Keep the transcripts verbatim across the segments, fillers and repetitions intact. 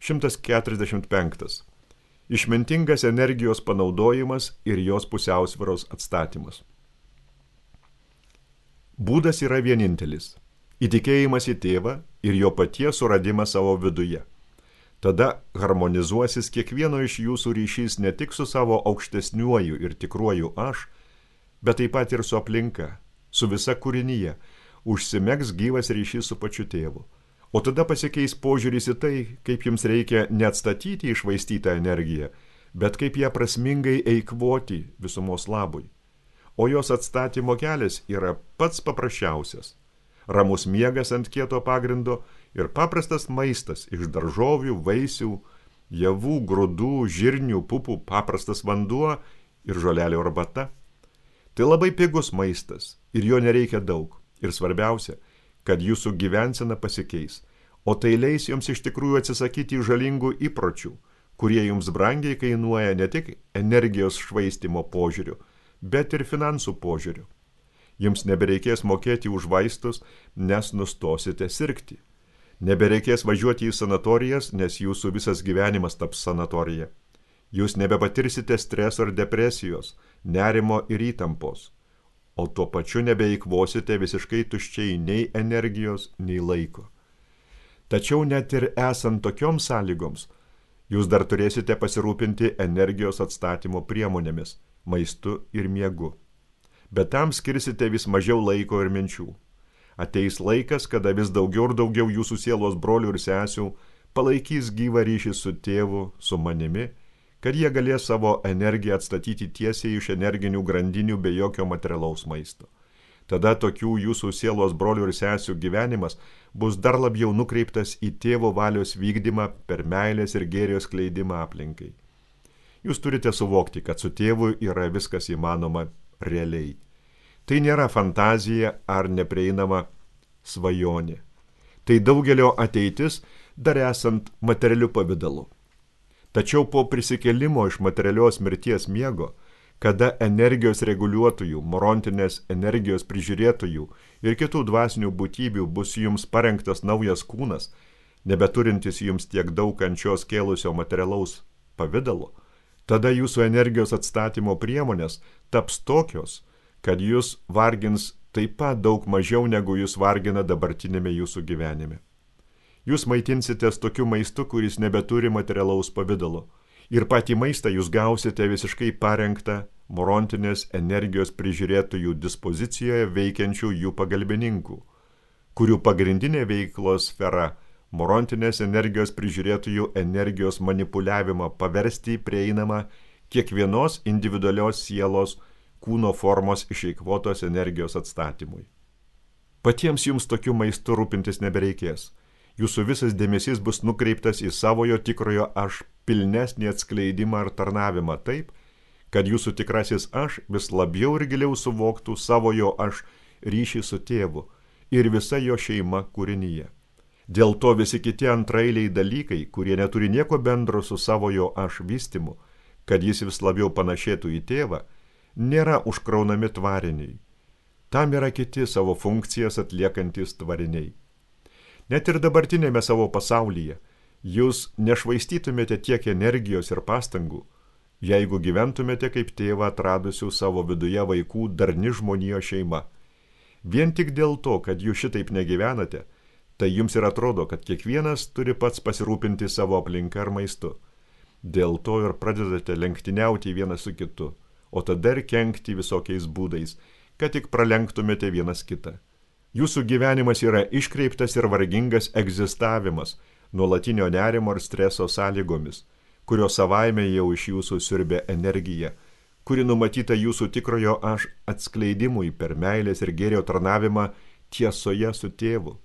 šimtas keturiasdešimt penktas. Išmintingas energijos panaudojimas ir jos pusiausvyros atstatymas. Būdas yra vienintelis – įtikėjimas į tėvą ir jo paties suradimas savo viduje. Tada harmonizuosis kiekvieno iš jūsų ryšys ne tik su savo aukštesniuoju ir tikruoju aš, bet taip pat ir su aplinka, su visa kūrinyje, užsimegs gyvas ryšys su pačiu tėvu. O tada pasikeis požiūris į tai, kaip jums reikia neatstatyti iššvaistytą energiją, bet kaip ją prasmingai eikvoti visumos labui. O jos atstatymo kelias yra pats paprasčiausias. Ramus miegas ant kieto pagrindo ir paprastas maistas iš daržovių, vaisių, javų, grūdų, žirnių, pupų, paprastas vanduo ir žolelių arbata. Tai labai pigus maistas ir jo nereikia daug. Ir svarbiausia, kad jūsų gyvensena pasikeis, o tai leis jums iš tikrųjų atsisakyti žalingų įpročių, kurie jums brangiai kainuoja ne tik energijos švaistymo požiūriu, bet ir finansų požiūriu. Jums nebereikės mokėti už vaistus, nes nustosite sirgti. Nebereikės važiuoti į sanatorijas, nes jūsų visas gyvenimas taps sanatorija. Jūs nebepatirsite streso ir depresijos, nerimo ir įtampos. O tuo pačiu nebeeikvosite visiškai tuščiai nei energijos, nei laiko. Tačiau net ir esant tokioms sąlygoms, jūs dar turėsite pasirūpinti energijos atstatymo priemonėmis, maistu ir miegu. Bet tam skirsite vis mažiau laiko ir minčių. Ateis laikas, kada vis daugiau ir daugiau jūsų sielos brolių ir sesių palaikys gyvą ryšį su tėvu, su manimi, kad jie galės savo energiją atstatyti tiesiai iš energinių grandinių be jokio materialaus maisto. Tada tokių jūsų sielos brolių ir sesių gyvenimas bus dar labiau nukreiptas į tėvo valios vykdymą per meilės ir gėrio skleidimą aplinkai. Jūs turite suvokti, kad su tėvu yra viskas įmanoma realiai. Tai nėra fantazija ar neprieinama svajonė. Tai daugelio ateitis dar esant materialiu pavidalu. Tačiau po prisikėlimo iš materialios mirties miego, kada energijos reguliuotojų, morontinės energijos prižiūrėtojų ir kitų dvasinių būtybių bus jums parengtas naujas kūnas, nebeturintis jums tiek daug kančios kėlusio materialaus pavidalo, tada jūsų energijos atstatymo priemonės taps tokios, kad jūs vargins taip pat daug mažiau negu jūs vargina dabartinėme jūsų gyvenime. Jūs maitinsitės tokiu maistu, kuris nebeturi materialaus pavidalo. Ir patį maistą jūs gausite visiškai parengtą morontinės energijos prižiūrėtojų dispozicijoje veikiančių jų pagalbininkų, kurių pagrindinė veiklos sfera morontinės energijos prižiūrėtojų energijos manipuliavimą paversti prieinamą kiekvienos individualios sielos kūno formos išeikvotos energijos atstatymui. Patiems jums tokiu maistu rūpintis nebereikės. Jūsų visas dėmesys bus nukreiptas į savojo tikrojo aš pilnesnį atskleidimą ar tarnavimą taip, kad jūsų tikrasis aš vis labiau ir giliau suvoktų savojo aš ryšį su tėvu ir visa jo šeima kūrinyje. Dėl to visi kiti antraeiliai dalykai, kurie neturi nieko bendro su savojo aš vystymu, kad jis vis labiau panašėtų į tėvą, nėra užkraunami tvariniai. Tam yra kiti savo funkcijas atliekantis tvariniai. Net ir dabartinėme savo pasaulyje jūs nešvaistytumėte tiek energijos ir pastangų, jeigu gyventumėte kaip tėvą atradusių savo viduje vaikų darni žmonijos šeima. Vien tik dėl to, kad jūs šitaip negyvenate, tai jums ir atrodo, kad kiekvienas turi pats pasirūpinti savo aplinką ar maistu. Dėl to ir pradedate lenktyniauti vienas su kitu, o tada ir kenkti visokiais būdais, kad tik pralenktumėte vienas kitą. Jūsų gyvenimas yra iškreiptas ir vargingas egzistavimas, nuolatinio nerimo ir streso sąlygomis, kurios savaime jau iš jūsų siurbia energiją, kuri numatyta jūsų tikrojo aš atskleidimui per meilės ir gėrio tarnavimą tiesoje su tėvu.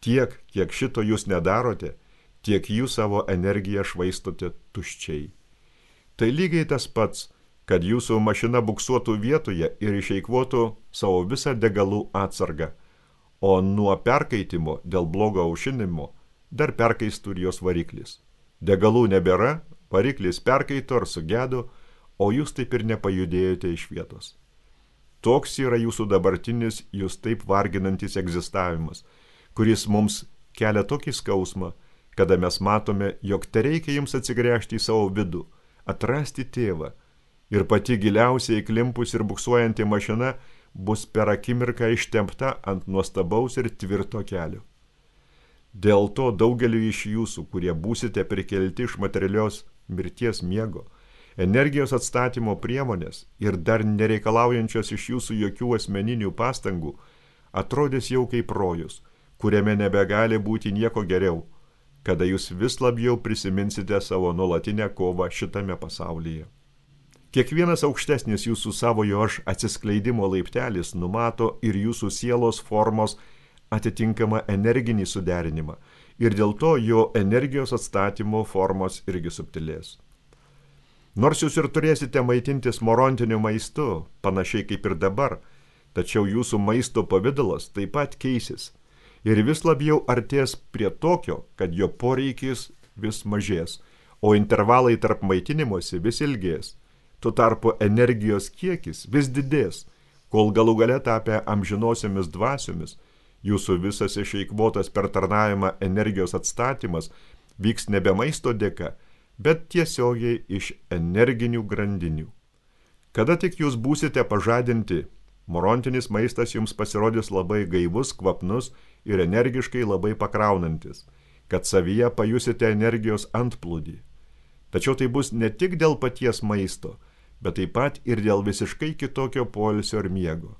Tiek, kiek šito jūs nedarote, tiek jūs savo energiją švaistote tuščiai. Tai lygiai tas pats, kad jūsų mašina buksuotų vietoje ir išeikvotų savo visą degalų atsargą, o nuo perkaitimo dėl blogo aušinimo dar perkaistų ir jos variklis. Degalų nebėra, variklis perkaito ar sugedo, o jūs taip ir nepajudėjote iš vietos. Toks yra jūsų dabartinis, jūs taip varginantis egzistavimas, kuris mums kelia tokį skausmą, kada mes matome, jog tereikia jums atsigręžti į savo vidų, atrasti tėvą, ir pati giliausiai įklimpus ir buksuojanti mašina bus per akimirką ištempta ant nuostabaus ir tvirto kelio. Dėl to daugeliu iš jūsų, kurie būsite prikelti iš materialios mirties miego, energijos atstatymo priemonės ir dar nereikalaujančios iš jūsų jokių asmeninių pastangų, atrodys jau kaip rojus, kuriame nebegali būti nieko geriau, kada jūs vis labiau prisiminsite savo nuolatinę kovą šitame pasaulyje. Kiekvienas aukštesnis jūsų savojo aš atsiskleidimo laiptelis numato ir jūsų sielos formos atitinkamą energinį suderinimą ir dėl to jo energijos atstatymo formos irgi subtilės. Nors jūs ir turėsite maitintis morontiniu maistu, panašiai kaip ir dabar, tačiau jūsų maisto pavidalas taip pat keisis ir vis labiau artės prie tokio, kad jo poreikis vis mažės, o intervalai tarp maitinimosi vis ilgės. Tuo tarpu energijos kiekis vis didės, kol galų gale tapę amžinosiomis dvasiomis, jūsų visas išeikvotas per tarnavimą energijos atstatymas vyks nebe maisto dėka, bet tiesiogiai iš energinių grandinių. Kada tik jūs būsite pažadinti, morontinis maistas jums pasirodys labai gaivus, kvapnus ir energiškai labai pakraunantis, kad savyje pajusite energijos antplūdį. Tačiau tai bus ne tik dėl paties maisto, bet taip pat ir dėl visiškai kitokio poilsio ir miego.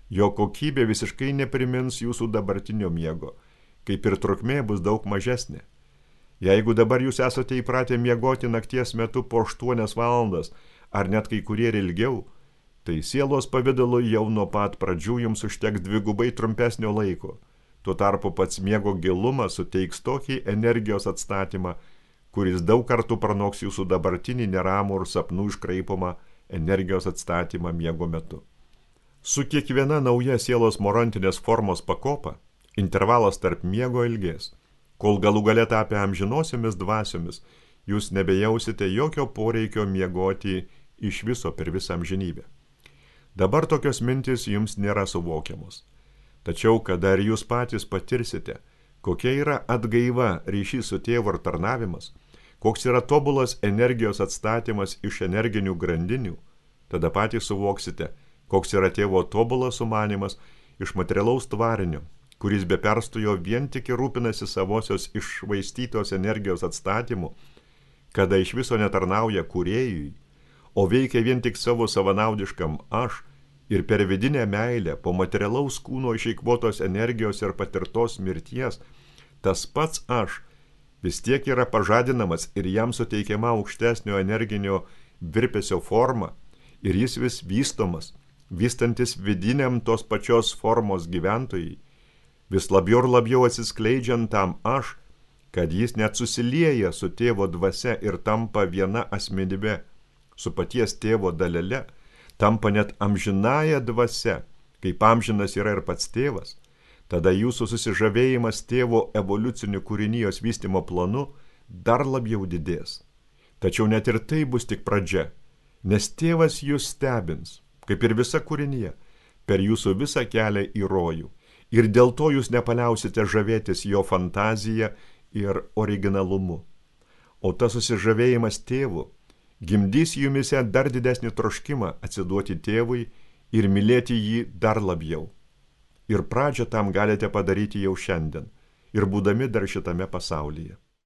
Jo kokybė visiškai neprimins jūsų dabartinio miego, kaip ir trukmė bus daug mažesnė. Jeigu dabar jūs esate įpratę miegoti nakties metu po aštuonias valandas, ar net kai kurie ir ilgiau, tai sielos pavidalu jau nuo pat pradžių jums užteks dvigubai trumpesnio laiko. Tuo tarpu pats miego gilumas suteiks tokį energijos atstatymą, kuris daug kartų pranoks jūsų dabartinį neramų ir sapnų iškraipomą energijos atstatymą miego metu. Su kiekviena nauja sielos morontinės formos pakopa, intervalas tarp miego ilgės, kol galų gale tapę amžinosiomis dvasiomis, jūs nebejausite jokio poreikio miegoti iš viso per visą amžinybę. Dabar tokios mintys jums nėra suvokiamos. Tačiau, kada ir jūs patys patirsite, kokia yra atgaiva ryšys su tėvu ir tarnavimas, koks yra tobulas energijos atstatymas iš energinių grandinių, tada patys suvoksite, koks yra tėvo tobulas sumanimas iš materialaus tvarinio, kuris be perstojo vien tik rūpinasi savosios iššvaistytos energijos atstatymu, kada iš viso netarnauja kūrėjui, o veikia vien tik savo savanaudiškam aš ir per vidinę meilę po materialaus kūno išeikvotos energijos ir patirtos mirties, tas pats aš vis tiek yra pažadinamas ir jam suteikiama aukštesnio energinio virpesio forma ir jis vis vystomas, vystantis vidiniam tos pačios formos gyventojai, vis labiau ir labiau atsiskleidžiant tam aš, kad jis net susilieja su tėvo dvasia ir tampa viena asmenybe, su paties tėvo dalele, tampa net amžinąja dvasia, kaip amžinas yra ir pats tėvas. Tada jūsų susižavėjimas tėvo evoliuciniu kūrinijos vystymo planu dar labiau didės. Tačiau net ir tai bus tik pradžia, nes tėvas jūs stebins, kaip ir visa kūrinija, per jūsų visą kelią į rojų. Ir dėl to jūs nepaliausite žavėtis jo fantaziją ir originalumu. O tas susižavėjimas tėvu gimdys jumise dar didesnį troškimą atsiduoti tėvui ir mylėti jį dar labiau. Ir pradžią tam galite padaryti jau šiandien, ir būdami dar šitame pasaulyje.